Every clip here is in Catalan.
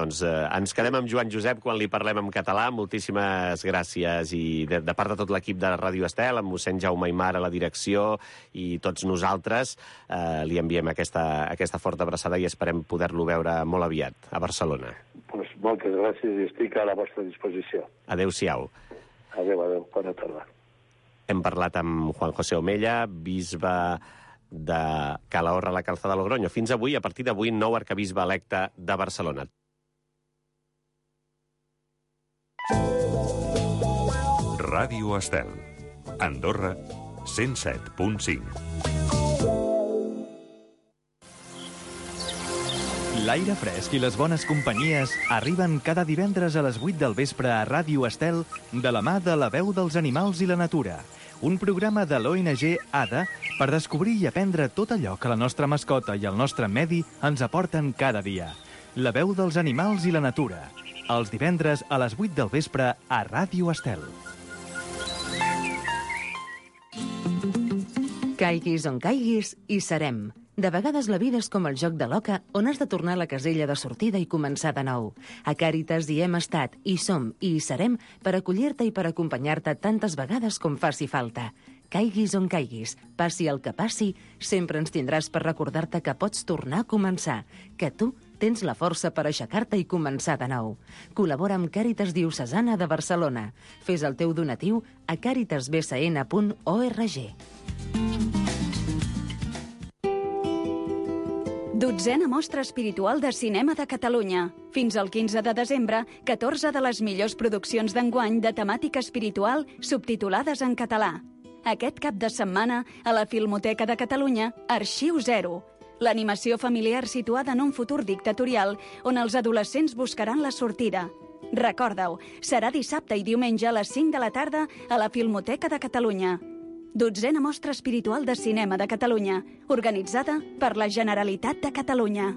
Doncs ens quedem amb Joan Josep quan li parlem en català. Moltíssimes gràcies. I de part de tot l'equip de Ràdio Estel, amb mossèn Jaume Aymar a la direcció i tots nosaltres, li enviem aquesta forta abraçada i esperem poder-lo veure molt aviat a Barcelona. Pues moltes gràcies i estic a la vostra disposició. Adéu-siau. Adéu, bona tarda. Hem parlat amb Juan José Omella, bisbe de Calahorra, la Calzada de Logroño. Fins avui, a partir d'avui, nou arquebisbe electe de Barcelona. Ràdio Estel. Andorra, 107.5. L'aire fresc i les bones companyies arriben cada divendres a les 8 del vespre a Ràdio Estel de la mà de La Veu dels Animals i la Natura, un programa de l'ONG ADA per descobrir i aprendre tot allò que la nostra mascota i el nostre medi ens aporten cada dia. La Veu dels Animals i la Natura, els divendres a les 8 del vespre a Ràdio Estel. Caiguis on caiguis, hi serem. De vegades la vida és com el joc de l'oca, on has de tornar a la casella de sortida i començar de nou. A Càritas hi hem estat, hi som i hi serem per acollir-te i per acompanyar-te tantes vegades com faci falta. Caiguis on caiguis, passi el que passi, sempre ens tindràs per recordar-te que pots tornar a començar, que tu tens la força per aixecar-te i començar de nou. Col·labora amb Càritas Diocesana de Barcelona. Fes el teu donatiu a caritasbcn.org. 12a Mostra Espiritual de Cinema de Catalunya. Fins al 15 de desembre, 14 de les millors produccions d'enguany de temàtica espiritual subtitulades en català. Aquest cap de setmana, a la Filmoteca de Catalunya, Arxiu Zero. L'animació familiar situada en un futur dictatorial on els adolescents buscaran la sortida. Recorda-ho, serà dissabte i diumenge a les 5 de la tarda a la Filmoteca de Catalunya. 12a Mostra Espiritual de Cinema de Catalunya, organitzada per la Generalitat de Catalunya.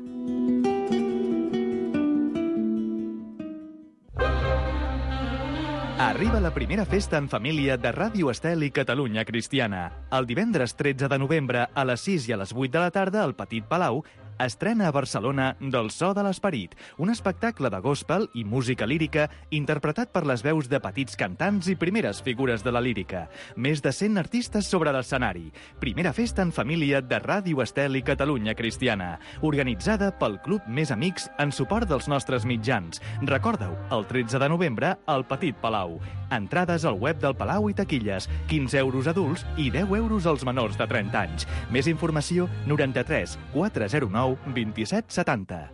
Arriba la primera festa en família de Ràdio Estel i Catalunya Cristiana. El divendres 13 de novembre a les 6 i a les 8 de la tarda al Petit Palau estrena a Barcelona Del so de l'esperit, un espectacle de gospel i música lírica interpretat per les veus de petits cantants i primeres figures de la lírica. Més de 100 artistes sobre l'escenari. Primera festa en família de Ràdio Estel i Catalunya Cristiana, organitzada pel Club Més Amics en suport dels nostres mitjans. Recorda-ho, el 13 de novembre al Petit Palau. Entrades al web del Palau i taquilles, 15 euros adults i 10 euros als menors de 30 anys. Més informació, 93 409 2770.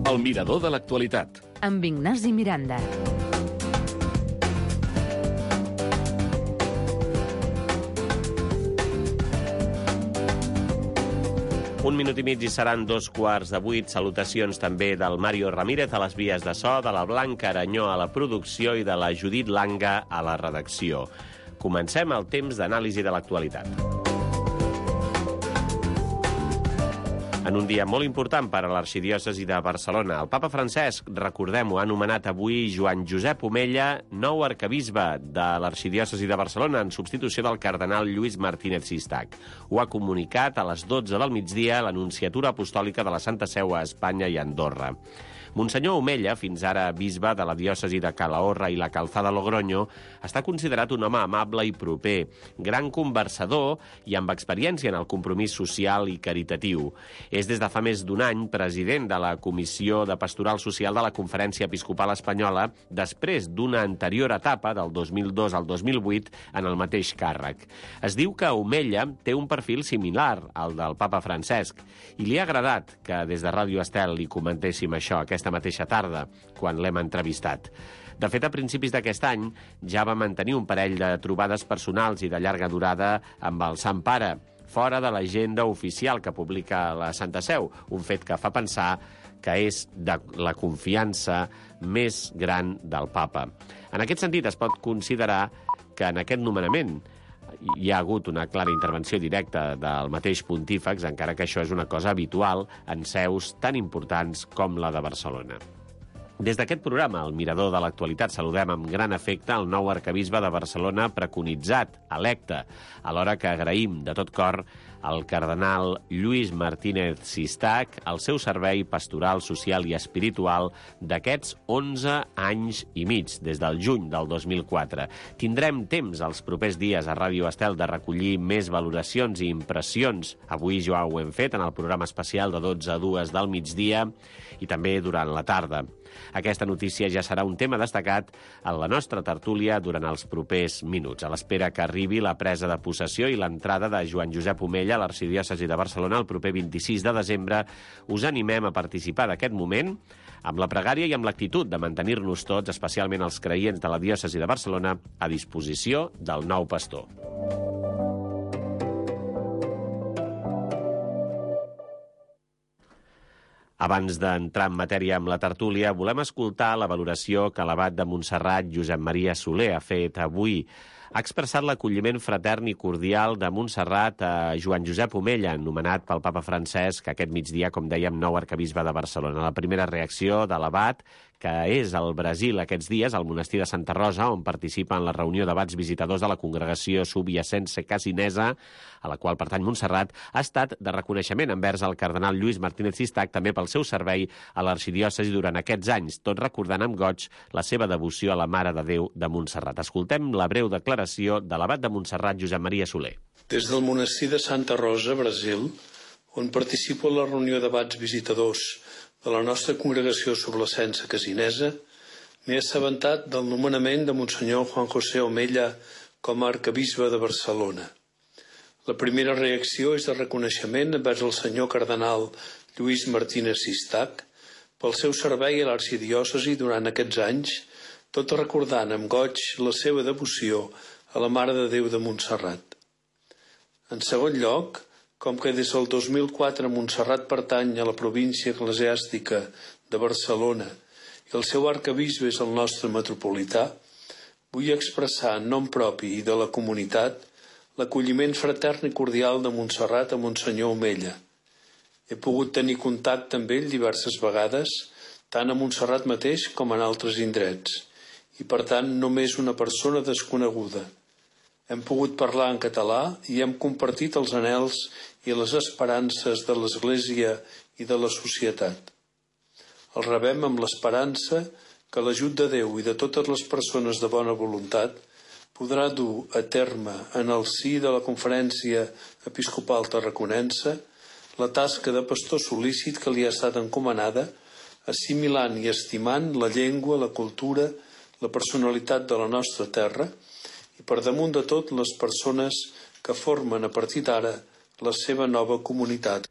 El mirador de l'actualitat. Amb Ignasi Miranda. Un minut i mig i seran 7:15. Salutacions també del Mario Ramírez a les vies de so, de la Blanca Aranyó a la producció i de la Judit Langa a la redacció. Comencem el temps d'anàlisi de l'actualitat. En un dia molt important per a l'arxidiòcesi de Barcelona, el papa Francesc, recordem-ho, ha anomenat avui Joan Josep Omella nou arquebisbe de l'arxidiòcesi de Barcelona en substitució del cardenal Lluís Martínez Sistac. Ho ha comunicat a les 12 del migdia l'Anunciatura Apostòlica de la Santa Seu a Espanya i a Andorra. Monsenyor Omella, fins ara bisbe de la diòcesi de Calahorra i la Calzada de Logroño, està considerat un home amable i proper, gran conversador i amb experiència en el compromís social i caritatiu. És des de fa més d'un any president de la Comissió de Pastoral Social de la Conferència Episcopal Espanyola, després d'una anterior etapa, del 2002 al 2008, en el mateix càrrec. Es diu que Omella té un perfil similar al del papa Francesc i li ha agradat que des de Ràdio Estel li comentéssim això aquesta mateixa tarda, quan l'hem entrevistat. De fet, a principis d'aquest any ja va mantenir un parell de trobades personals i de llarga durada amb el Sant Pare, fora de l'agenda oficial que publica la Santa Seu, un fet que fa pensar que és de la confiança més gran del papa. En aquest sentit, es pot considerar que en aquest nomenament hi ha hagut una clara intervenció directa del mateix pontífex, encara que això és una cosa habitual en seus tan importants com la de Barcelona. Des d'aquest programa, el Mirador de l'Actualitat, saludem amb gran afecte el nou arquebisbe de Barcelona preconitzat, electe, alhora que agraïm de tot cor al cardenal Lluís Martínez Sistac el seu servei pastoral, social i espiritual d'aquests 11 anys i mig, des del juny del 2004. Tindrem temps els propers dies a Ràdio Estel de recollir més valoracions i impressions. Avui ja ho hem fet en el programa especial de 12 a 2 del migdia i també durant la tarda. Aquesta notícia ja serà un tema destacat en la nostra tertúlia durant els propers minuts, a l'espera que arribi la presa de possessió i l'entrada de Joan Josep Omella a l'arxidiòcesi de Barcelona el proper 26 de desembre. Us animem a participar d'aquest moment amb la pregària i amb l'actitud de mantenir-nos tots, especialment els creients de la diòcesi de Barcelona, a disposició del nou pastor. Abans d'entrar en matèria amb la tertúlia, volem escoltar la valoració que l'abat de Montserrat, Josep Maria Soler, ha fet avui. Ha expressat l'acolliment fratern i cordial de Montserrat a Joan Josep Omella, nomenat pel papa Francesc aquest migdia, com dèiem, nou arquebisbe de Barcelona. La primera reacció de l'abat, que és al Brasil aquests dies, al monestir de Santa Rosa, on participa en la reunió d'abats visitadors de la congregació subjacense casinesa, a la qual pertany Montserrat, ha estat de reconeixement envers el cardenal Lluís Martínez Sistac, també pel seu servei a l'arxidiòcesi durant aquests anys, tot recordant amb goig la seva devoció a la Mare de Déu de Montserrat. Escoltem la breu declaració de l'abat de Montserrat, Josep Maria Soler. Des del monestir de Santa Rosa, Brasil, on participo en la reunió d'abats visitadors de la nostra congregació sublacense casinesa, m'he assabentat del nomenament de Monsenyor Juan José Omella com a arquebisbe de Barcelona. La primera reacció és de reconeixement envers el senyor cardenal Lluís Martínez Sistac pel seu servei a l'arxidiòcesi durant aquests anys, tot recordant amb goig la seva devoció a la Mare de Déu de Montserrat. En segon lloc, com que des del 2004 Montserrat pertany a la província eclesiàstica de Barcelona i el seu arquebisbe és el nostre metropolità, vull expressar en nom propi i de la comunitat l'acolliment fratern i cordial de Montserrat a Monsenyor Omella. He pogut tenir contacte amb ell diverses vegades, tant a Montserrat mateix com en altres indrets, i per tant només una persona desconeguda. Hem pogut parlar en català i hem compartit els anhels i les esperances de l'Església i de la societat. El rebem amb l'esperança que l'ajut de Déu i de totes les persones de bona voluntat podrà dur a terme en el si de la Conferència Episcopal Tarraconense la tasca de pastor sol·lícit que li ha estat encomanada, assimilant i estimant la llengua, la cultura, la personalitat de la nostra terra i per damunt de tot les persones que formen a partir d'ara la seva nova comunitat.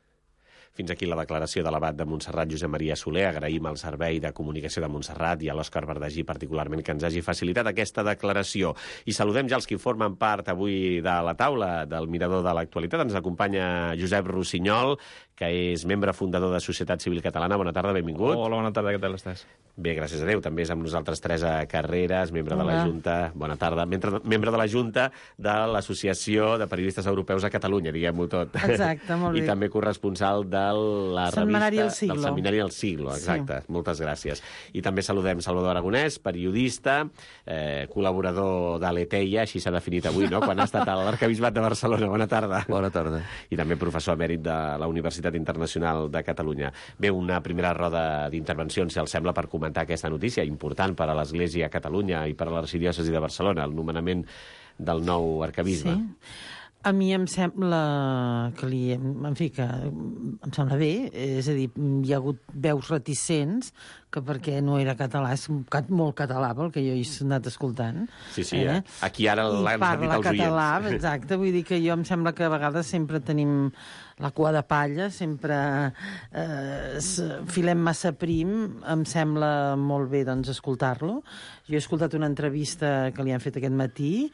Fins aquí la declaració de l'abat de Montserrat, Josep Maria Soler. Agraïm al Servei de Comunicació de Montserrat i a l'Òscar Verdagí particularment que ens hagi facilitat aquesta declaració. I saludem ja els que formen part avui de la taula del Mirador de l'Actualitat. Ens acompanya Josep Rossinyol, que és membre fundador de Societat Civil Catalana. Bona tarda, benvingut. Hola, bona tarda, què tal estàs? Bé, gràcies a Déu. També és amb nosaltres Teresa Carreras, membre de la Junta... Bona tarda. Membre de la Junta de l'Associació de Periodistes Europeus a Catalunya, diguem-ho tot. Exacte, molt bé. I també corresponsal de la Setmanari revista El Siglo. del Setmanari El Siglo, exacte. Sí. Moltes gràcies. I també saludem Salvador Aragonès, periodista, col·laborador de l'Eteia, així s'ha definit avui, no?, quan ha estat a l'Arquebisbat de Barcelona. Bona tarda. Bona tarda. I també professor emèrit de la Universitat Internacional de Catalunya. Bé, una primera roda d'intervencions, si els sembla, per comentar aquesta notícia important per a l'Església a Catalunya i per a l'arxidiòcesi de Barcelona, el nomenament del nou arquebisbe. Sí. A mi em sembla que em sembla bé, és a dir, hi ha hagut veus reticents que perquè no era català, és molt català pel que jo he anat escoltant. Sí, sí, aquí ara l'han sentit els oients. Català, exacte, vull dir que jo em sembla que a vegades sempre tenim la cua de palla, sempre filem massa prim, em sembla molt bé doncs escoltar-lo. Jo he escoltat una entrevista que li han fet aquest matí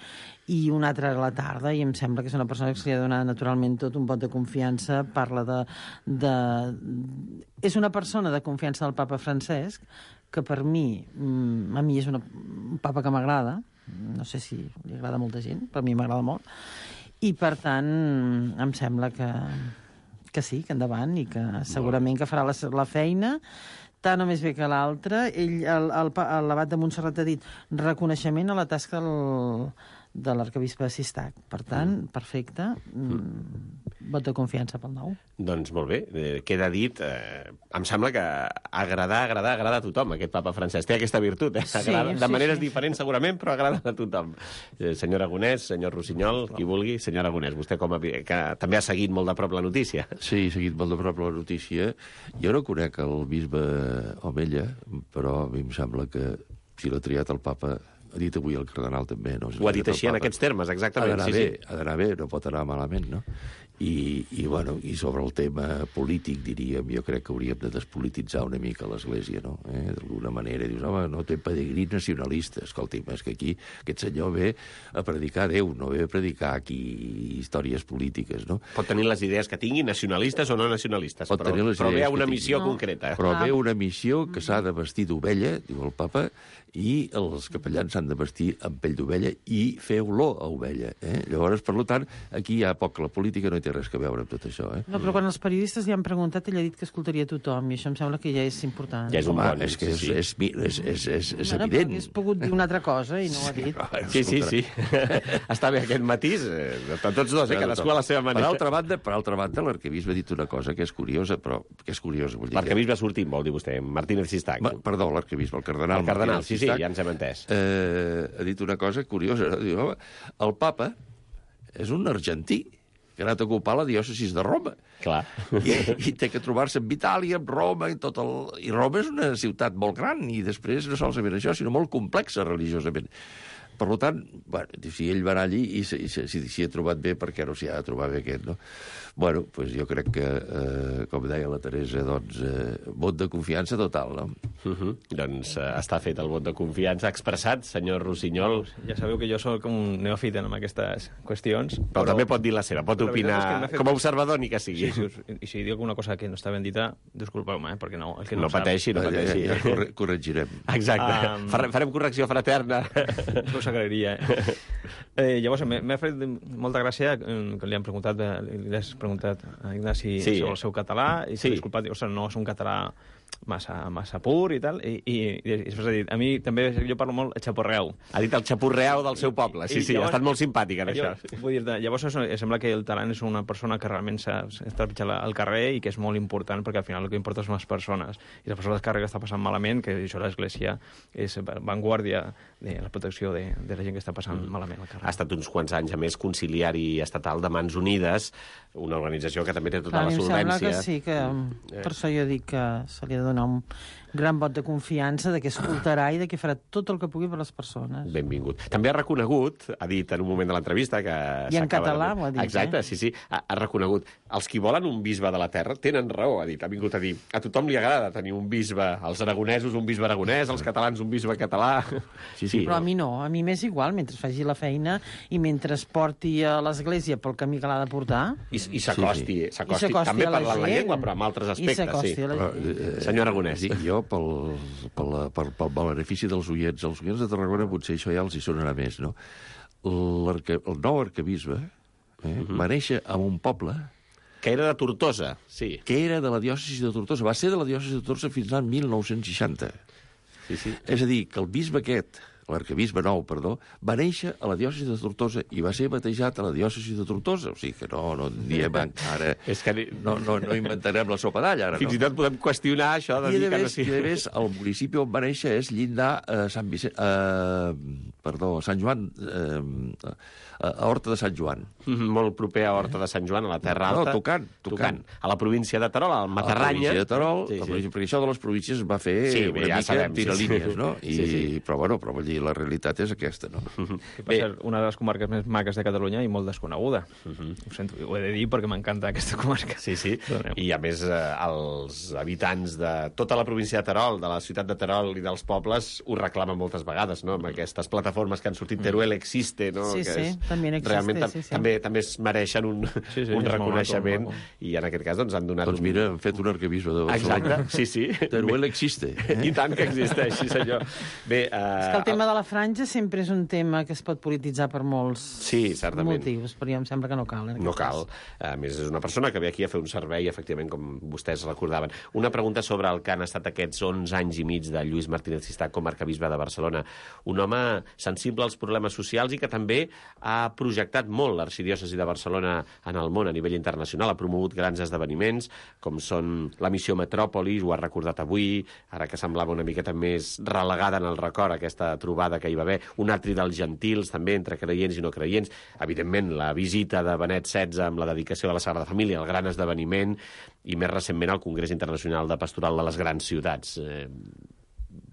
i una altra a la tarda i em sembla que és una persona que se li ha donat naturalment tot un vot de confiança, parla és una persona de confiança del papa Francesc, que per mi, a mi és un papa que m'agrada, no sé si li agrada a molta gent, però a mi m'agrada molt, i per tant em sembla que sí, que endavant, i que segurament que farà la feina tant o més bé que l'altre. L'abat de Montserrat ha dit reconeixement a la tasca de l'arquebisbe de Sistac. Per tant, perfecte. Vot de confiança pel nou. Doncs molt bé, queda dit. Em sembla que agrada a tothom, aquest papa Francesc. Té aquesta virtut, agrada, de maneres diferents segurament, però agrada a tothom. Senyor Aragonès, senyor Rossinyol, qui vulgui. Senyor Aragonès, vostè que també ha seguit molt de prop la notícia. Sí, he seguit molt de prop la notícia. Jo no conec el bisbe Omella, però a mi em sembla que si l'ha triat el papa... Ha dit avui el cardenal també, no? Ho ha dit així en aquests termes, exactament. Ha d'anar bé, no pot anar malament, no? I sobre el tema polític, diríem, jo crec que hauríem de despolititzar una mica l'Església, no? D'alguna manera, dius, home, no té pedigrí nacionalista. Escolti'm, és que aquí aquest senyor ve a predicar Déu, no ve a predicar aquí històries polítiques, no? Pot tenir les idees que tingui, nacionalistes o no nacionalistes, però ve a una missió concreta. Però ve una missió que s'ha de vestir d'ovella, diu el papa, i els capellans s'han de vestir amb pell d'ovella i fer olor a ovella. Llavors, per tant, aquí hi ha poc, la política no hi té res a veure amb tot això. No, però quan els periodistes li han preguntat, ell ha dit que escoltaria tothom, i això em sembla que ja és important. Ja és un bon... És que és evident. Hauria pogut dir una altra cosa i no ho ha dit. Sí. Està bé aquest matís, tots dos, cadascú a la seva manera. Per altra banda, l'arquebisbe ha dit una cosa que és curiosa, però que és curiosa. L'arquebisbe sortint, vol dir vostè, Martínez Sistac. Perdó, l'arquebisbe, el cardenal. El cardenal, sí, ja ens hem entès. Ha dit una cosa curiosa. Diu, home, el papa és un argentí que ha anat a ocupar la diòcesis de Roma. Clar. I té que trobar-se amb Itàlia, amb Roma, i Roma és una ciutat molt gran, i després no solament això, sinó molt complexa religiosament. Per tant, bueno, si ell va anar allí i s'hi ha trobat bé, per què no s'hi ha de trobar bé aquest, no? Bueno, doncs jo crec que, com deia la Teresa, doncs, vot de confiança total, no? Doncs està fet el vot de confiança expressat, senyor Rossinyol. Ja sabeu que jo soc un neòfit en aquestes qüestions. Però també pot dir la seva, pot opinar com a observador ni que sigui. I si dic alguna cosa que no està ben dita, disculpeu-me, perquè no... No pateixi, no pateixi. Ja corregirem. Exacte. Farem correcció fraterna. Us agrairia. Llavors, m'ha fet molta gràcia que li han preguntat, li has preguntat a Ignasi sobre el seu català, i s'ha disculpat, no és un català massa pur i tal, i després ha dit, a mi també jo parlo molt xapurreau. Ha dit el xapurreau del seu poble, sí, ha estat molt simpàtic en això. Vull dir, llavors sembla que el talent és una persona que realment s'ha trepitjat al carrer i que és molt important, perquè al final el que importa són les persones, i les persones del carrer que està passant malament, que això l'Església és vanguardia de la protecció de la gent que està passant malament al carrer. Ha estat uns quants anys, a més, conciliari estatal de Mans Unides, una organització que també té tota la solvència. Em sembla que sí, que per això jo dic que se li ha de donar un gran vot de confiança, de que escoltarà i de que farà tot el que pugui per les persones. Benvingut. També ha reconegut, ha dit en un moment de l'entrevista que... I en català ho ha dit, Exacte, sí. Ha reconegut. Els qui volen un bisbe de la terra tenen raó, ha dit. Ha vingut a dir, a tothom li agrada tenir un bisbe, als aragonesos un bisbe aragonès, als catalans un bisbe català... Sí. Però a mi no, a mi m'és igual, mentre faci la feina i mentre es porti a l'Església pel camí que l'ha de portar. I s'acosti també parlant la llengua, però amb altres aspectes, sí. Senyor Aragonès. Jo, pel benefici dels oients de Tarragona, potser això ja els hi sonarà més, no? El nou arquebisbe va néixer en un poble que era de Tortosa, sí. Que era de la diòcesi de Tortosa. Va ser de la diòcesi de Tortosa fins l'any 1960. Sí. És a dir, que el bisbe aquest, l'arquebisbe nou, perdó, va néixer a la diòcesi de Tortosa i va ser batejat a la diòcesi de Tortosa. O sigui que no diem encara... No inventarem la sopa d'alla, ara no. Fins i tot podem qüestionar això de dir que no sí. I a més, el municipi on va néixer és llindar Sant Joan, a Horta de Sant Joan. Molt proper a Horta de Sant Joan, a la Terra Alta. No, tocant. A la província de Terol, al Matarranya. A la província de Terol, perquè això de les províncies va fer una mica tiralínies, no? Però vull dir, la realitat és aquesta, no? Que va ser una de les comarques més maques de Catalunya i molt desconeguda. Ho he de dir perquè m'encanta aquesta comarca. Sí. I a més, els habitants de tota la província de Terol, de la ciutat de Terol i dels pobles, ho reclamen moltes vegades, no? Amb aquestes plataformes plataformes que han sortit, Teruel existe, no? Sí, que també existe, realment sí. també es mereixen un reconeixement, i en aquest cas doncs, han donat... Doncs mira, han fet un arquebisbe de Barcelona. Exacte, sí. Teruel existe. I tant que existeix, sí senyor. Bé, és que el tema de la franja sempre és un tema que es pot polititzar per molts motius, però em sembla que no cal. No cal. A més, és una persona que ve aquí a fer un servei, efectivament, com vostès recordaven. Una pregunta sobre el que han estat aquests 11 anys i mig de Lluís Martínez Cistach com a arquebisbe de Barcelona. Un home sensible als problemes socials i que també ha projectat molt l'arxidiòcesi de Barcelona en el món a nivell internacional. Ha promogut grans esdeveniments, com són la missió Metròpolis, ho ha recordat avui, ara que semblava una miqueta més relegada en el record, aquesta trobada que hi va haver, un atri dels gentils, també, entre creients i no creients. Evidentment, la visita de Benet XVI amb la dedicació de la Sagrada Família, el gran esdeveniment, i més recentment el Congrés Internacional de Pastoral de les Grans Ciutats.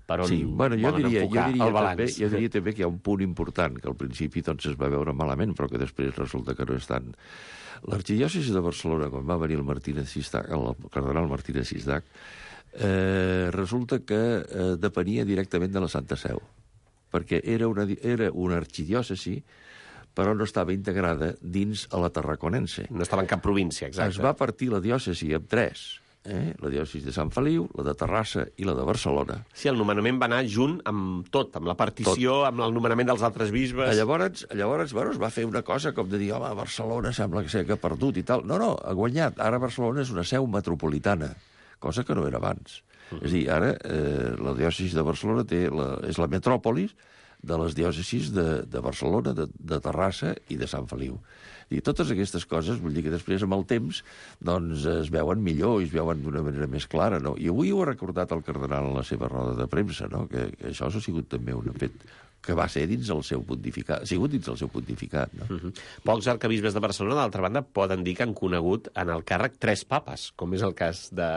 Per on volen enfocar el balanç? Jo diria també que hi ha un punt important, que al principi doncs, es va veure malament, però que després resulta que no és tant. L'arxidiòcesi de Barcelona, quan va venir el cardenal Martínez Cistach, resulta que depenia directament de la Santa Seu, perquè era una arxidiòcesi, però no estava integrada dins a la Tarraconense. No estava en cap província, exacte. Es va partir la diòcesi en 3, la diòcesi de Sant Feliu, la de Terrassa i la de Barcelona. Sí, el nomenament va anar junt amb tot, amb la partició, amb el nomenament dels altres bisbes. Llavors, es va fer una cosa com de dir, home, Barcelona sembla que ha perdut i tal. No, ha guanyat. Ara Barcelona és una seu metropolitana, cosa que no era abans. És a dir, ara la diòcesi de Barcelona és la metròpolis de les diòcesis de Barcelona, de Terrassa i de Sant Feliu. I totes aquestes coses, vull dir que després, amb el temps, doncs es veuen millor i es veuen d'una manera més clara, no? I avui ho ha recordat el cardenal en la seva roda de premsa, no? Que això ha sigut també un fet que va ser dins el seu pontificat, ha sigut dins el seu pontificat, no? Pocs arquebisbes de Barcelona, d'altra banda, poden dir que han conegut en el càrrec 3 papes, com és el cas de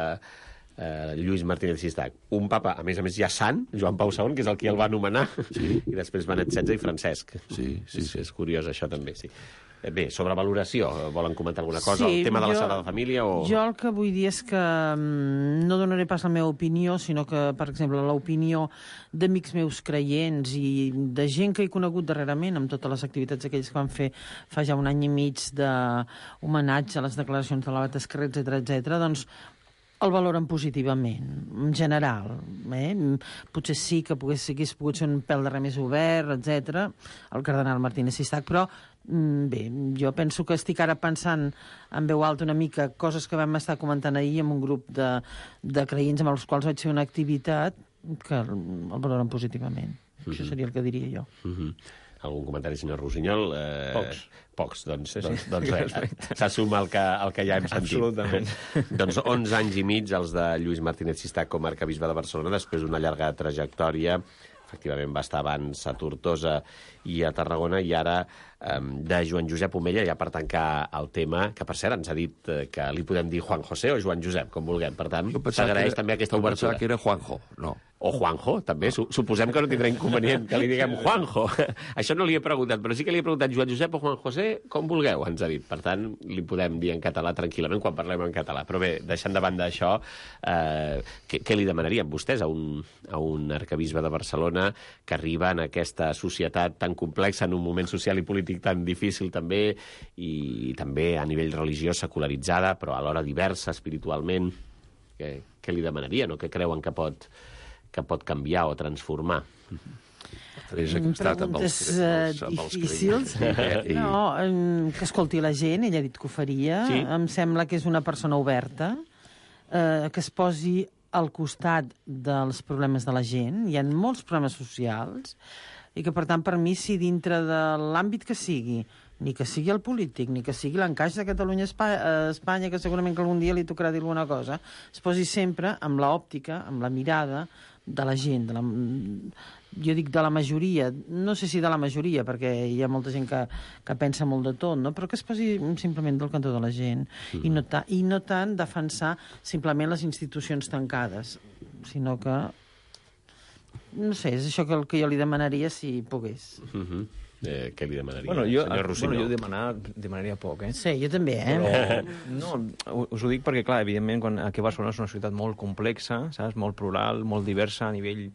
Lluís Martínez Cistach. Un papa, a més ja sant, Joan Pau II, que és el qui el va nomenar, i després Benet XVI i Francesc. Sí. És curiós això també, sí. Bé, sobre valoració, volen comentar alguna cosa? El tema de la Sagrada Família o... Jo el que vull dir és que no donaré pas la meva opinió, sinó que, per exemple, l'opinió d'amics meus creients i de gent que he conegut darrerament amb totes les activitats aquells que van fer fa ja un any i mig d'homenatge a les declaracions de l'abat Esquerrer, etc., doncs el valoren positivament, en general. Potser sí que hagués pogut ser un pèl de res més obert, etc. el cardenal Martínez Cistach, però bé, jo penso que estic ara pensant en veu alta una mica coses que vam estar comentant ahir amb un grup de creients amb els quals vaig fer una activitat que el valoren positivament. Això seria el que diria jo. Algun comentari, senyor Rossinyol? Pocs, doncs res. Perfecte. S'assuma el que ja hem sentit. Absolutament. Doncs 11 anys i mig els de Lluís Martínez Cistach com a arquebisbe de Barcelona, després d'una llarga trajectòria. Efectivament va estar abans a Tortosa i a Tarragona, i ara de Joan Josep Omella, ja per tancar el tema, que per cert ens ha dit que li podem dir Juan José o Joan Josep, com vulguem. Per tant, s'agraeix també aquesta obertura. Jo pensava que era Juanjo, no. O Juanjo, també. Suposem que no tindrà inconvenient que li diguem Juanjo. Això no li he preguntat, però sí que li he preguntat Joan Josep o Juan José, com vulgueu, ens ha dit. Per tant, li podem dir en català tranquil·lament quan parlem en català. Però bé, deixant de banda això, què li demanaríem vostès a un arquebisbe de Barcelona que arriba en aquesta societat tan complexa, en un moment social i polític tan difícil també, i també a nivell religiós secularitzada, però alhora diversa espiritualment? Què li demanarien o què creuen que pot canviar o transformar? Preguntes difícils. No, que escolti la gent, ella ha dit que ho faria. Sí. Em sembla que és una persona oberta, que es posi al costat dels problemes de la gent. Hi ha molts problemes socials i que, per tant, per mi, si dintre de l'àmbit que sigui, ni que sigui el polític, ni que sigui l'encaix de Catalunya a Espanya, que segurament que algun dia li tocarà dir alguna cosa, es posi sempre amb l'òptica, amb la mirada de la gent, jo dic de la majoria, no sé si de la majoria, perquè hi ha molta gent que pensa molt de tot, no? Però que es posi simplement del cantó de la gent, i no tant defensar simplement les institucions tancades, sinó que, no sé, és això que jo li demanaria si pogués. Què li demanaria, senyor Rossinyol? Jo demanaria poc, Sí, jo també, Però, no, us ho dic perquè, clar, evidentment, aquí a Barcelona és una ciutat molt complexa, saps? Molt plural, molt diversa a nivell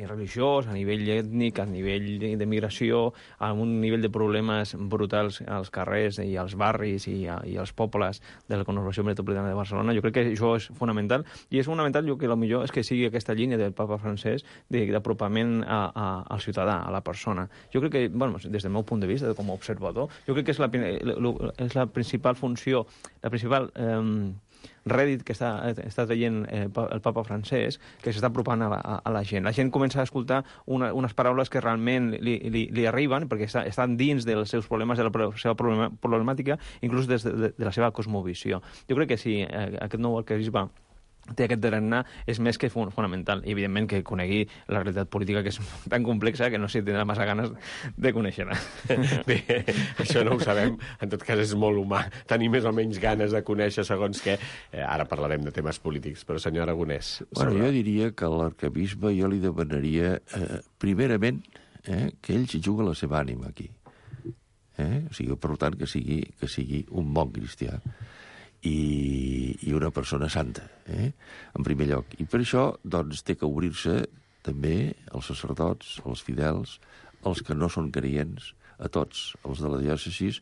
religiós, a nivell ètnic, a nivell de migració, a un nivell de problemes brutals als carrers i als barris i als pobles de la conurbació metropolitana de Barcelona. Jo crec que això és fonamental, i és fonamental que el millor és que sigui aquesta línia del papa Francesc d'apropament al ciutadà, a la persona. Jo crec que, bueno, des del meu punt de vista, com a observador, jo crec que és la principal funció, la principal rèdit que està traient el papa Francesc, que s'està apropant a la gent. La gent comença a escoltar unes paraules que realment li arriben, perquè estan dins dels seus problemes, de la seva problemàtica, inclús de la seva cosmovisió. Jo crec que si aquest nou arquebisbe té aquest tarannà, és més que fonamental. I, evidentment, que conegui la realitat política, que és tan complexa que no sé si tindrà massa ganes de conèixer-la. Bé, això no ho sabem. En tot cas, és molt humà tenir més o menys ganes de conèixer segons què. Ara parlarem de temes polítics, però senyor Aragonès... Bueno, jo diria que l'arquebisbe jo li demanaria, primerament, que ell s'hi juga la seva ànima aquí. O sigui, per tant, que sigui un bon cristià i una persona santa, en primer lloc. I per això, doncs, té que obrir-se també als sacerdots, als fidels, als que no són creients, a tots, els de la diòcesi,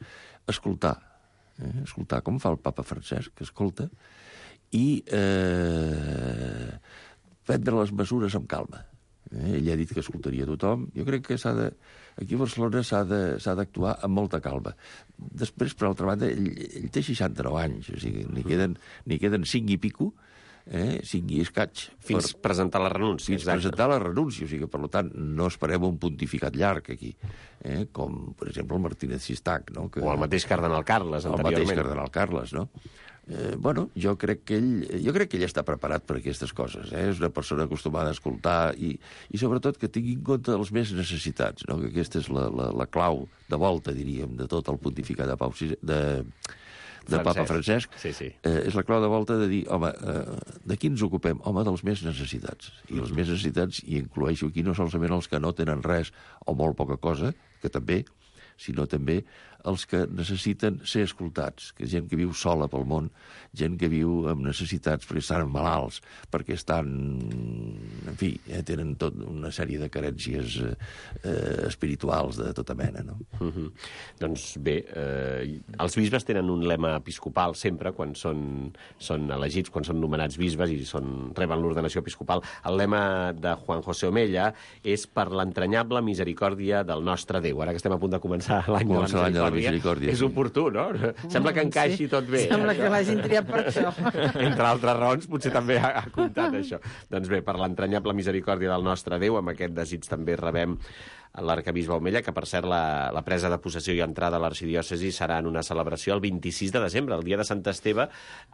escoltar. Escoltar, com fa el papa Francesc, que escolta, i prendre les mesures amb calma. Ell ha dit que escoltaria tothom. Jo crec que aquí a Barcelona s'ha d'actuar amb molta calma. Després, per altra banda, ell té 69 anys, o sigui, n'hi queden 5 i pico, 5 i escaig. Fins presentar la renúncia. Fins presentar la renúncia, o sigui que, per tant, no esperem un pontificat llarg aquí, com, per exemple, el Martínez Sistac, no? O el mateix cardenal Carles, anteriorment. El mateix cardenal Carles, no? Bueno, jo crec que ell està preparat per aquestes coses. És una persona acostumada a escoltar i sobretot que tingui en compte els més necessitats, no? Que aquesta és la clau de volta, diríem, de tot el pontificat de papa Francesc. Sí. És la clau de volta de dir, home, de qui ens ocupem? Home, dels més necessitats. I els més necessitats, i incloeixo aquí no solament els que no tenen res o molt poca cosa, que també, sinó també els que necessiten ser escoltats, que gent que viu sola pel món, gent que viu amb necessitats perquè estan malalts, perquè estan... En fi, tenen tota una sèrie de carències espirituals de tota mena, no? Doncs bé, els bisbes tenen un lema episcopal sempre, quan són elegits, quan són nomenats bisbes i reben l'ordenació episcopal. El lema de Juan José Omella és per l'entranyable misericòrdia del nostre Déu. Ara que estem a punt de començar l'any de la misericòrdia, és oportú, no? Sembla que encaixi tot bé. Sembla que l'hagin triat per això. Entre altres raons, potser també ha comptat això. Doncs bé, per l'entranyable misericòrdia del nostre Déu, amb aquest desig també rebem l'arquebisbe Omella, que per cert la presa de possessió i entrada a l'arxidiòcesi serà en una celebració el 26 de desembre, el dia de Sant Esteve,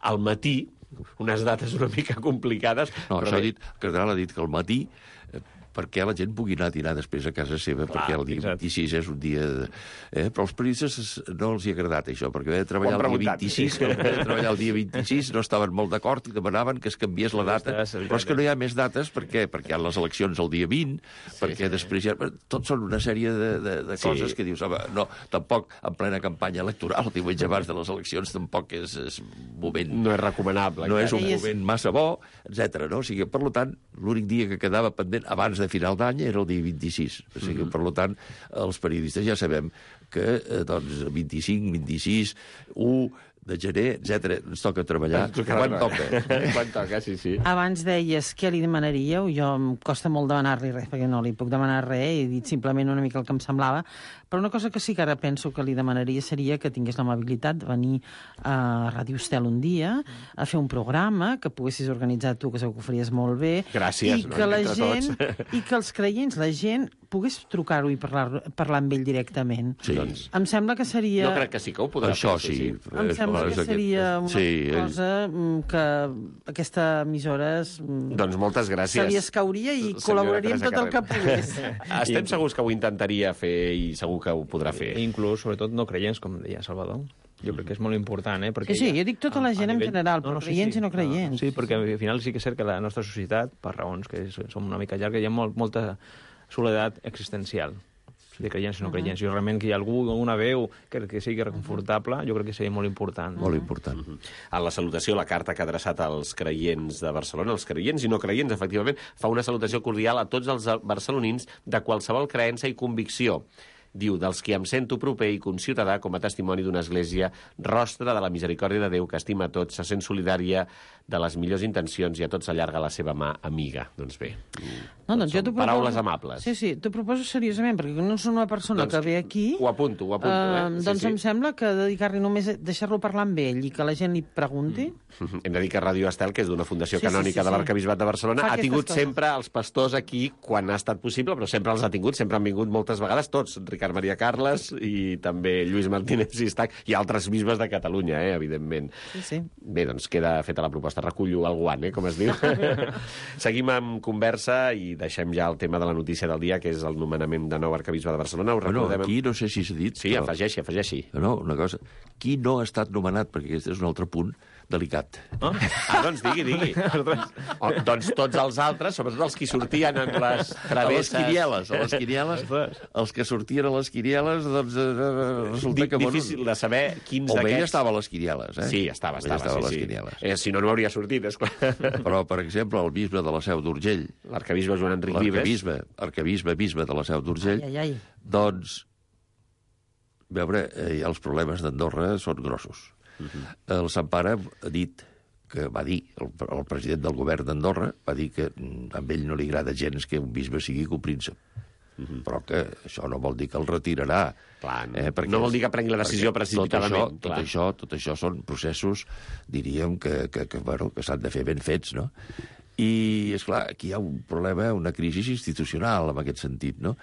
al matí, unes dates una mica complicades. No, això el cardenal ha dit que al matí, perquè la gent pugui anar a dinar després a casa seva, perquè el dia 26 és un dia... Però als periodistes no els hi ha agradat això, perquè haver de treballar el dia 26 no estaven molt d'acord i demanaven que es canviés la data. Però és que no hi ha més dates, per què? Perquè hi ha les eleccions el dia 20, perquè després ja... Tot són una sèrie de coses que dius, home, no, tampoc en plena campanya electoral, diumenge abans de les eleccions, tampoc és moment... No és recomanable. No és un moment massa bo, etc. O sigui, per tant, l'únic dia que quedava pendent abans de final d'any era el dia 26. O sigui, per tant, els periodistes ja sabem que, doncs, 25, 26, 1 de gener, etc. Ens toca treballar quan toca. Quan toca, sí. Abans deies què li demanaríeu. Jo em costa molt demanar-li res, perquè no li puc demanar res, he dit simplement una mica el que em semblava. Però una cosa que sí que ara penso que li demanaria seria que tingués l'amabilitat de venir a Ràdio Estel un dia, a fer un programa, que poguessis organitzar tu, que segur que ho faries molt bé. Gràcies, i que la gent, i que els creients, la gent, pogués trucar-ho i parlar amb ell directament. Sí. Em sembla que seria... Jo crec que sí que ho podrà fer. Sí. Em sembla que seria una cosa que aquesta emissora doncs moltes gràcies. Se li escauria i col·laboraria amb tot el que pogués. Estem segurs que ho intentaria fer i segur que ho podrà fer. Inclús, sobretot, no creients, com deia Salvador. Jo crec que és molt important, perquè... Sí, jo dic tota la gent en general, però creients i no creients. Sí, perquè al final sí que és cert que la nostra societat, per raons que som una mica llarga, hi ha molta soledat existencial. de creients i no creients. Jo realment que hi ha algú, una veu que sigui reconfortable, jo crec que seria molt important. Molt important. En la salutació, la carta que ha adreçat als creients de Barcelona, els creients i no creients, efectivament, fa una salutació cordial a tots els barcelonins de qualsevol creença i convicció. Diu, dels qui em sento proper i conciutadà com a testimoni d'una església rostra de la misericòrdia de Déu que estima a tots, se sent solidària de les millors intencions i a tots allarga la seva mà amiga. Doncs bé, paraules amables. Sí, t'ho proposo seriosament, perquè no és una persona que ve aquí... Ho apunto. Doncs em sembla que dedicar-li només deixar-lo parlar amb ell i que la gent li pregunti... Hem de dir que Ràdio Estel, que és d'una fundació canònica de l'Arquebisbat de Barcelona, ha tingut sempre els pastors aquí quan ha estat possible, però sempre els ha tingut, sempre han vingut moltes vegades tots, Ricard Maria Carles i també Lluís Martínez Sistac i altres bisbes de Catalunya, evidentment. Sí. Bé, doncs queda feta la proposta. Recullo el guant, com es diu. Seguim amb conversa i deixem ja el tema de la notícia del dia, que és el nomenament de nou arquebisbe de Barcelona. Aquí no sé si s'ha dit... Sí, afegeixi. No, una cosa. Qui no ha estat nomenat, perquè aquest és un altre punt delicat. Doncs digui. Doncs tots els altres, sobretot els que sortien en les travesses... A les quinieles, els que sortien a les quinieles, doncs resulta que... Difícil de saber quins d'aquests... Omella estava a les quinieles, Sí, estava a les quinieles. Si no hauria sortit, esclar. Però, per exemple, el bisbe de la Seu d'Urgell... L'arquebisbe Joan Enric Vives. Bisbe de la Seu d'Urgell, doncs, veure, els problemes d'Andorra són grossos. El Sant Pare va dir, el president del govern d'Andorra, va dir que a ell no li agrada gens que un bisbe sigui copríncep. Però que això no vol dir que el retirarà. No vol dir que prengui la decisió precipitadament. Tot això són processos, diríem, que s'han de fer ben fets, no? I, esclar, aquí hi ha un problema, una crisi institucional, en aquest sentit, no?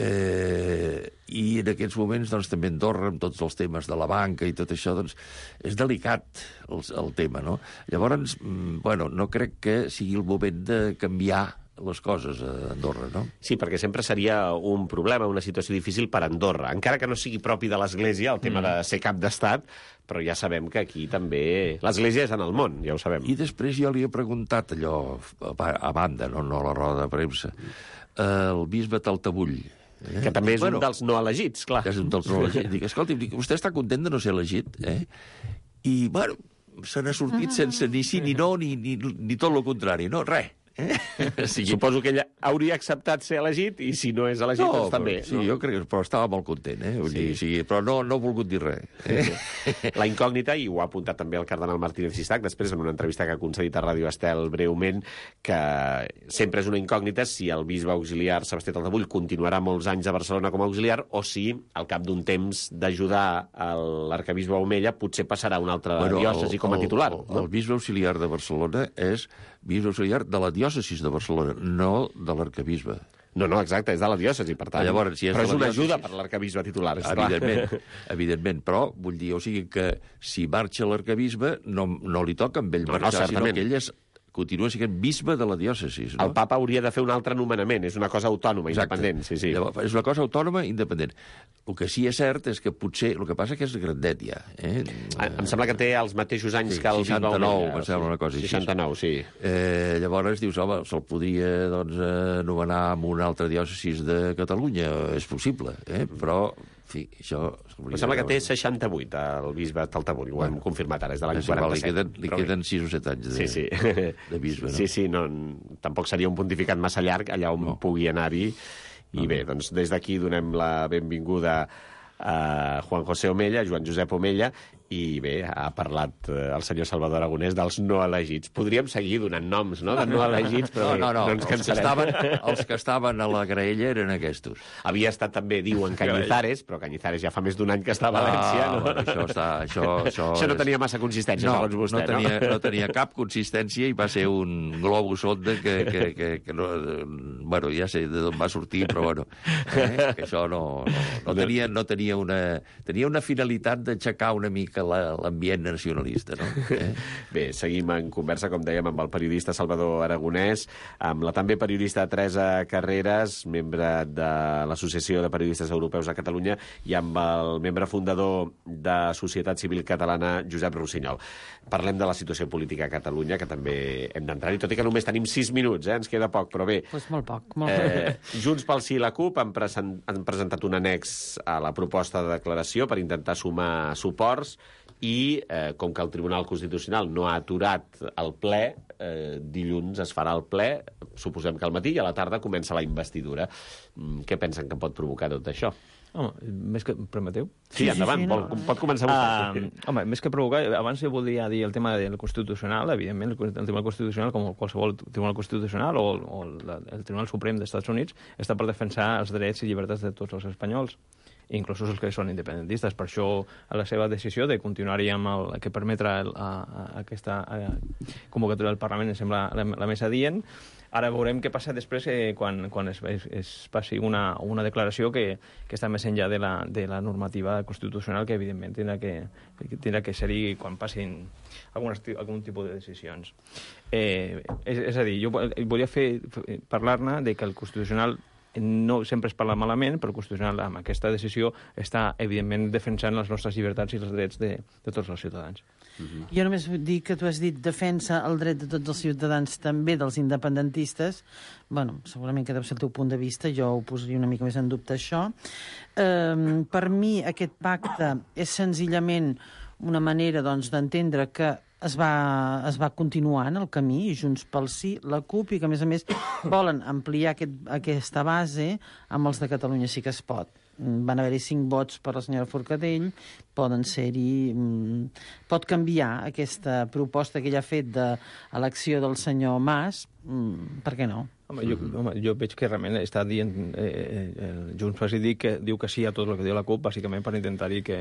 I en aquests moments, doncs, també Andorra, amb tots els temes de la banca i tot això, doncs, és delicat el tema, no? Llavors, no crec que sigui el moment de canviar les coses a Andorra, no? Sí, perquè sempre seria un problema, una situació difícil per Andorra, encara que no sigui propi de l'Església, el tema de ser cap d'estat, però ja sabem que aquí també... L'Església és en el món, ja ho sabem. I després jo li he preguntat allò, a banda, no a la roda de premsa, el bisbe Taltabull, que també és un dels no elegits, clar. Que és un dels no elegits. Dic, escolti, vostè està content de no ser elegit, I, se n'ha sortit sense ni sí ni no, ni tot el contrari, no, res. Suposo que ell hauria acceptat ser elegit i si no és elegit, doncs també. Sí, jo crec que estava molt content, però no ha volgut dir res. La incògnita, i ho ha apuntat també el cardenal Martínez Sistac, després en una entrevista que ha concedit a Ràdio Estel breument, que sempre és una incògnita si el bisbe auxiliar Sebastià Taltabull continuarà molts anys a Barcelona com a auxiliar o si, al cap d'un temps d'ajudar l'arquebisbe Omella, potser passarà a una altra diòcesi com a titular. El bisbe auxiliar de Barcelona és bisbe auxiliar de la diòcesis de Barcelona, no de l'arquebisbe. No, exacte, és de la diòcesi, per tant. Llavors, però és una ajuda per l'arquebisbe titular, esclar. Evidentment, però vull dir, o sigui que si marxa l'arquebisbe no li toca amb ell marxar, sinó que ell continua sent bisbe de la diòcesis. El papa hauria de fer un altre nomenament, és una cosa autònoma, independent. Sí. És una cosa autònoma, independent. El que sí és cert és que potser... El que passa que és grandet, ja. Em sembla que té els mateixos anys que el bisbe Omella. 69, em sembla una cosa així. 69, sí. Llavors dius, home, se'l podria nomenar en una altra diòcesis de Catalunya, és possible, però... En fi, això... Em sembla que té 68, el bisbe Taltabull, ho hem confirmat ara, és de l'any 47. Li queden 6 o 7 anys de bisbe, no? Sí, tampoc seria un pontificat massa llarg, allà on pugui anar-hi. I bé, doncs des d'aquí donem la benvinguda a Juan José Omella, Joan Josep Omella, i bé, ha parlat el senyor Salvador Aragonès dels no elegits. Podríem seguir donant noms, no?, de no elegits, però no ens cansarem. Els que estaven a la graella eren aquests. Havia estat també, diuen, Cañizares, però Cañizares ja fa més d'un any que està a València, no? Això no tenia massa consistència, segons vostè, no? No tenia cap consistència i va ser un globus sonda que no... Bueno, ja sé d'on va sortir, però bueno, que això no tenia una... Tenia una finalitat d'aixecar una mica que l'ambient nacionalista, no? Bé, seguim en conversa, com dèiem, amb el periodista Salvador Aragonès, amb la també periodista Teresa Carreras, membre de l'Associació de Periodistes Europeus a Catalunya, i amb el membre fundador de Societat Civil Catalana, Josep Rossinyol. Parlem de la situació política a Catalunya, que també hem d'entrar-hi, tot i que només tenim 6 minuts, ens queda poc, però bé. Pues molt poc. Junts pel Sí i la CUP han presentat un annex a la proposta de declaració per intentar sumar suports i, com que el Tribunal Constitucional no ha aturat el ple, dilluns es farà el ple, suposem que al matí, i a la tarda comença la investidura. Què pensen que pot provocar tot això? Home, més que... Permeteu? Sí, endavant, pot començar vostè. Home, més que provocar, abans jo voldria dir el tema del Constitucional, evidentment, el Tribunal Constitucional, com qualsevol Tribunal Constitucional o el Tribunal Suprem dels Estats Units, està per defensar els drets i llibertats de tots els espanyols, inclús els que són independentistes. Per això, a la seva decisió de continuar-hi amb el que permetrà aquesta convocatòria del Parlament em sembla la més adient. Ara veurem què passa després quan es passi una declaració que està més enllà de la normativa constitucional, que evidentment tindrà que ser-hi quan passin algun tipus de decisions. És a dir, jo volia parlar-ne de que el Constitucional no sempre es parla malament, però el Constitucional amb aquesta decisió està, evidentment, defensant les nostres llibertats i els drets de tots els ciutadans. Jo només vull dir que tu has dit defensa el dret de tots els ciutadans, també dels independentistes. Bueno, segurament que deu ser el teu punt de vista, jo ho posaria una mica més en dubte, això. Per mi, aquest pacte és senzillament una manera d'entendre que es va continuant el camí, Junts pel Sí, la CUP, i que, a més, volen ampliar aquesta base amb els de Catalunya Sí que es pot. Van haver-hi 5 vots per la senyora Forcadell, poden ser-hi... Pot canviar aquesta proposta que ella ha fet d'elecció del senyor Mas, per què no? Home, jo veig que realment està dient Junts pel Sí que diu que sí a tot el que diu la CUP, bàsicament per intentar-hi que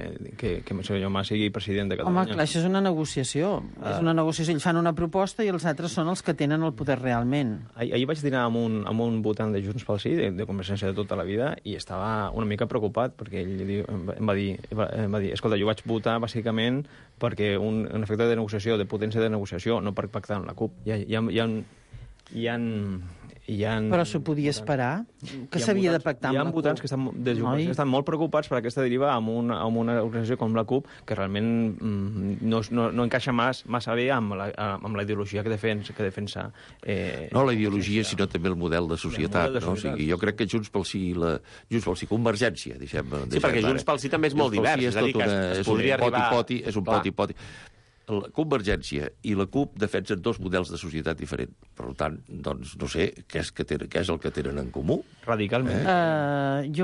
el senyor Mas sigui president de Catalunya. Home, clar, això és una negociació. És una negociació. Ells fan una proposta i els altres són els que tenen el poder realment. Ahir vaig dinar amb un votant de Junts pel Sí, de Convergència de tota la vida, i estava una mica preocupat, perquè ell em va dir, escolta, jo vaig votar bàsicament perquè un efecte de negociació, de potència de negociació, no per pactar amb la CUP. Però s'ho podia esperar? Que s'havia de pactar amb la CUP? Hi ha votants que estan molt preocupats per aquesta deriva amb una organització com la CUP, que realment no encaixa massa bé amb la ideologia que defensa. No la ideologia, sinó també el model de societat. O sigui, jo crec que Junts pel Sí, Convergència, deixem. Sí, perquè Junts pel Sí també és molt divers. És a dir, que es podria arribar... És un poti-poti. La Convergència i la CUP defensen 2 models de societat diferents. Per tant, doncs, no sé què és el que tenen en comú. Radicalment.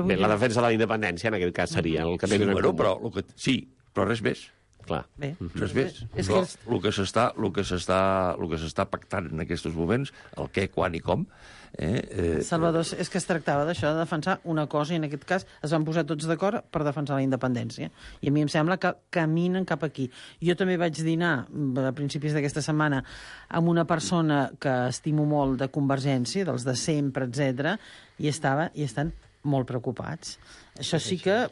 Bé, la defensa de la independència, en aquest cas, seria el que tenen en comú. Sí, però res més. Clar. Res més. Però el que s'està pactant en aquests moments, el què, quan i com... Salvador, és que es tractava d'això, de defensar una cosa, i en aquest cas es van posar tots d'acord per defensar la independència. I a mi em sembla que caminen cap aquí. Jo també vaig dinar a principis d'aquesta setmana amb una persona que estimo molt de Convergència, dels de sempre, etc, i estan molt preocupats. Això sí que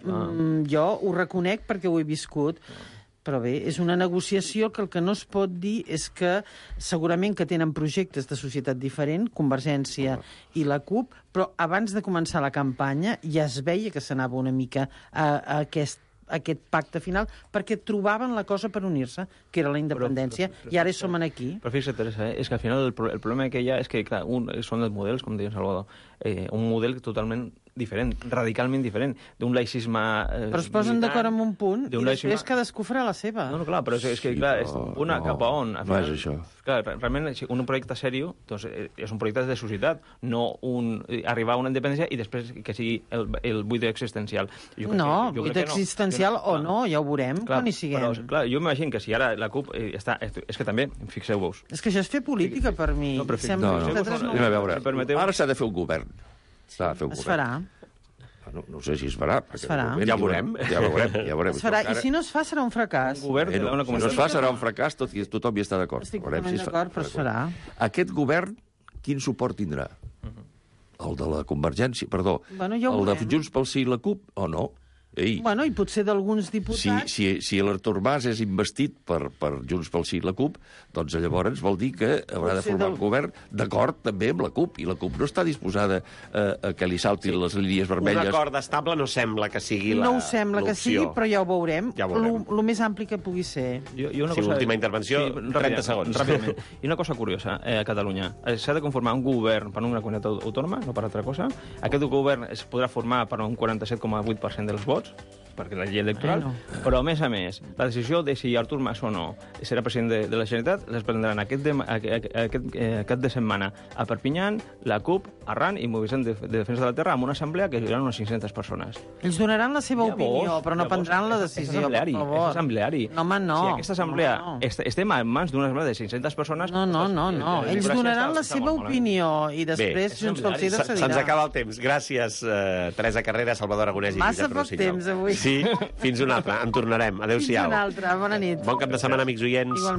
jo ho reconec perquè ho he viscut. Però bé, és una negociació que el que no es pot dir és que segurament que tenen projectes de societat diferent, Convergència i la CUP, però abans de començar la campanya ja es veia que s'anava una mica a aquest pacte final, perquè trobaven la cosa per unir-se, que era la independència, i ara som aquí. Però fixa't, Teresa, és que al final el problema que hi ha és que, clar, són els models, com deia Salvador, un model totalment diferent, radicalment diferent, d'un laïcisme... Però es posen d'acord en un punt i després cadascú farà la seva. No, clar, però és que, clar, una cap a on? No és això. Clar, realment, un projecte seriós doncs, és un projecte de societat, no arribar a una independència i després que sigui el buit existencial. No, buit existencial o no, ja ho veurem quan hi siguem. Però, clar, jo m'imagino que si ara la CUP està... És que també, fixeu-vos... És que això és fer política, per mi. No, a veure, ara s'ha de fer un govern. Es farà. No sé si es farà. Es farà. Ja veurem. Es farà. I si no es fa, serà un fracàs. Si no es fa, serà un fracàs, tothom hi està d'acord. Estic totalment d'acord, però es farà. Aquest govern, quin suport tindrà? El de la Convergència, perdó. El de Junts pel Sí i la CUP, o no? Bueno, i potser d'alguns diputats... Si l'Artur Mas és investit per Junts pel Sí i la CUP, doncs llavors vol dir que haurà de formar un govern d'acord també amb la CUP, i la CUP no està disposada a que li saltin les línies vermelles. Un acord estable no sembla que sigui l'opció. No ho sembla que sigui, però ja ho veurem. Lo més ampli que pugui ser. Última intervenció, 30 segons. Ràpidament. I una cosa curiosa, a Catalunya. S'ha de conformar un govern per una comunitat autònoma, no per altra cosa. Aquest govern es podrà formar per un 47,8% dels vots, perquè la llei electoral, però a més, la decisió de si Artur Mas o no serà president de la Generalitat les prendran aquest de setmana a Perpinyà, la CUP, Arran i Moviment de Defensa de la Terra, amb una assemblea que hi haurà unes 500 persones. Ells donaran la seva opinió, però no prendran la decisió, per favor. És assembleari. No, home, no. Si aquesta assemblea estem en mans d'una assemblea de 500 persones... No. Ells donaran la seva opinió i després Junts pel Sí decidirà. Se'ns acaba el temps. Gràcies, Teresa Carrera, Salvador Aragonès i Josep Rossinyol. Massa poc temps, avui. Sí, fins una altra. En tornarem. Adéu-siau. Fins una altra. Bona nit. Bon cap de setmana, amics oients.